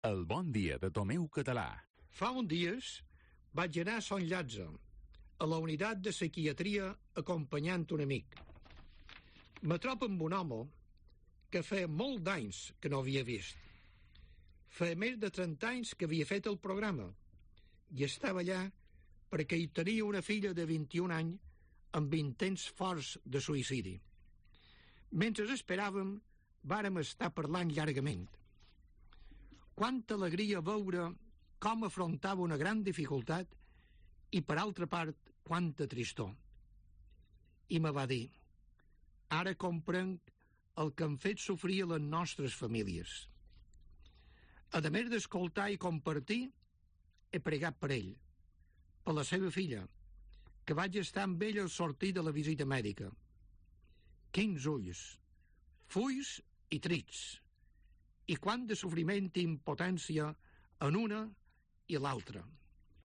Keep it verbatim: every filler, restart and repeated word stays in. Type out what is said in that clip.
El bon dia de Tomeu Català. Fa uns dies vaig anar a Sant Llàtzer, a la unitat de psiquiatria, acompanyant un amic. Me trobo amb un home que feia molt d'anys que no havia vist. Feia més de trenta anys que havia fet el programa i estava allà perquè hi tenia una filla de vint-i-un anys amb intents forts de suïcidi. Mentre esperàvem, vàrem estar parlant llargament. Quanta alegria veure com afrontava una gran dificultat i, per altra part, quanta tristor. I me va dir: ara comprenc el que han fet sofrir les nostres famílies. A més d'escoltar i compartir, he pregat per ell, per la seva filla, que vaig estar amb ella al sortir de la visita mèdica. Quins ulls, fulls i trits, i quant de sofriment i impotència en una i l'altra.